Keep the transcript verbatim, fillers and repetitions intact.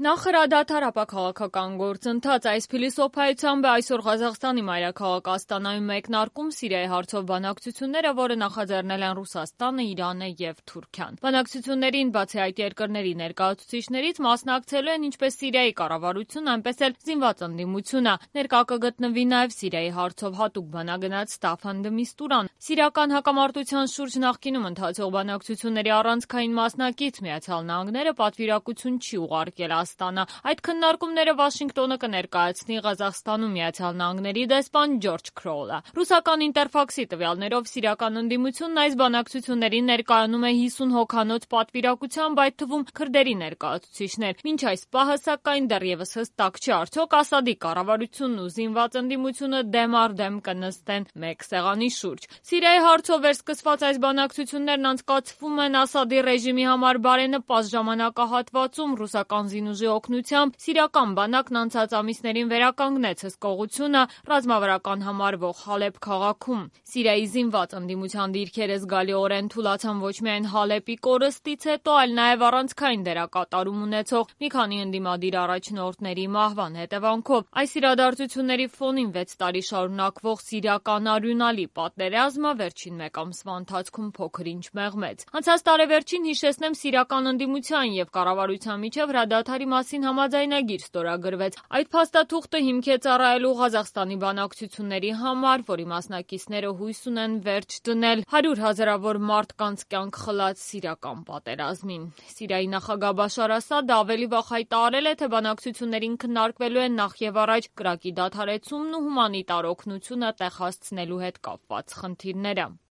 Նախհրադադար ապաքաղաքական գործընթաց այս փիլիսոփայությամբ է այսօր Ղազախստանի մայրաքաղաք Աստանայում մեկնարկում Սիրիայի հարցով բանակցությունները, որը նախաձեռնել են Ռուսաստանը, Իրանը և Թուրքիան։ Բանակցություններին բացի այդ երկրների ներկայացուցիչներից մասնակցելու են ինչպես Սիրիայի կառավարությունը, այնպես էլ զինված ընդդիմությունը։ Ներկա կգտնվի նաև Սիրիայի հարցով հատուկ բանագնաց Ստաֆան դը Միստուրան։ Սիրիական հակամարտության շուրջ նախկինում ընթացող բանակցությունների առանցքային մասնակից Միացյալ Նահանգները պատվիրակություն չի ուղարկել Աստանա։ Այդ քննարկումները Վաշինգտոնը կներկայացնի Ղազախստանում Միացյալ Նահանգների դեսպան Ջորջ Քրոլը։ Ռուսական Ինտերֆաքսի տվյալներով սիրիական ընդդիմությունն այս բանակցություններին ներկայանում է հիսուն հոգանոց պատվիրակությամբ, այդ թվում քրդերի ներկայացուցիչներ։ Մինչ այս պահը, սակայն, դեռևս հստակ չէ, արդյոք Ասադի կառավարությունն ու զինված ընդդիմությունը դեմ առ դեմ կնստեն մեկ սեղանի շուրջ։ Սիրիայի հարցով վերսկսված այս բանակցություններն անցկացվում են Ասադի ռեժիմի համար բարենպաստ ժամանակահատվածում։ Ռուսական զինուժի օգնությամբ սիրիական բանակն անցած ամիսներին վերականգնեց հսկողությունը ռազմավարական համարվող Հալեբ քաղաքում։ Սիրիայի զինված ընդդիմության դիրքերը զգալիորեն թուլացան ոչ միայն Հալեպի կորստից հետո, այլ նաև առանցքային դերակատարում ունեցող մի քանի ընդդիմադիր առաջնորդների մահվան հետևանքով։ Այս իրադարձությունների ֆոնին վեց տարի շարունակվող սիրիական արյունալի պատերազմը վերջին մեկ ամսվա ընթացքում փոքր-ինչ մեղմեց։ Անցած տարեվերջին, հիշեցնեմ, սիրիական ընդդիմության և կառավարության միջև հրադադարի մասին համաձայնագիր ստորագրվեց։ Այդ փաստաթուղթը հիմք է ծառայելու Ղազախստանի բանակցությունների համար, որի մասնակիցները հույս ունեն վերջ դնել հարյուր հազարավոր մարդկանց կյանք խլած սիրիական պատերազմին։ Սիրիայի նախագահ Բաշար Ասադը ավելի վաղ հայտարարել է, թե բանակցություններին քննարկվելու են նախևառաջ կրակի դադարեցումն ու հումանիտար օգնությունը տեղ հասցնելու հետ կապված խնդիրները։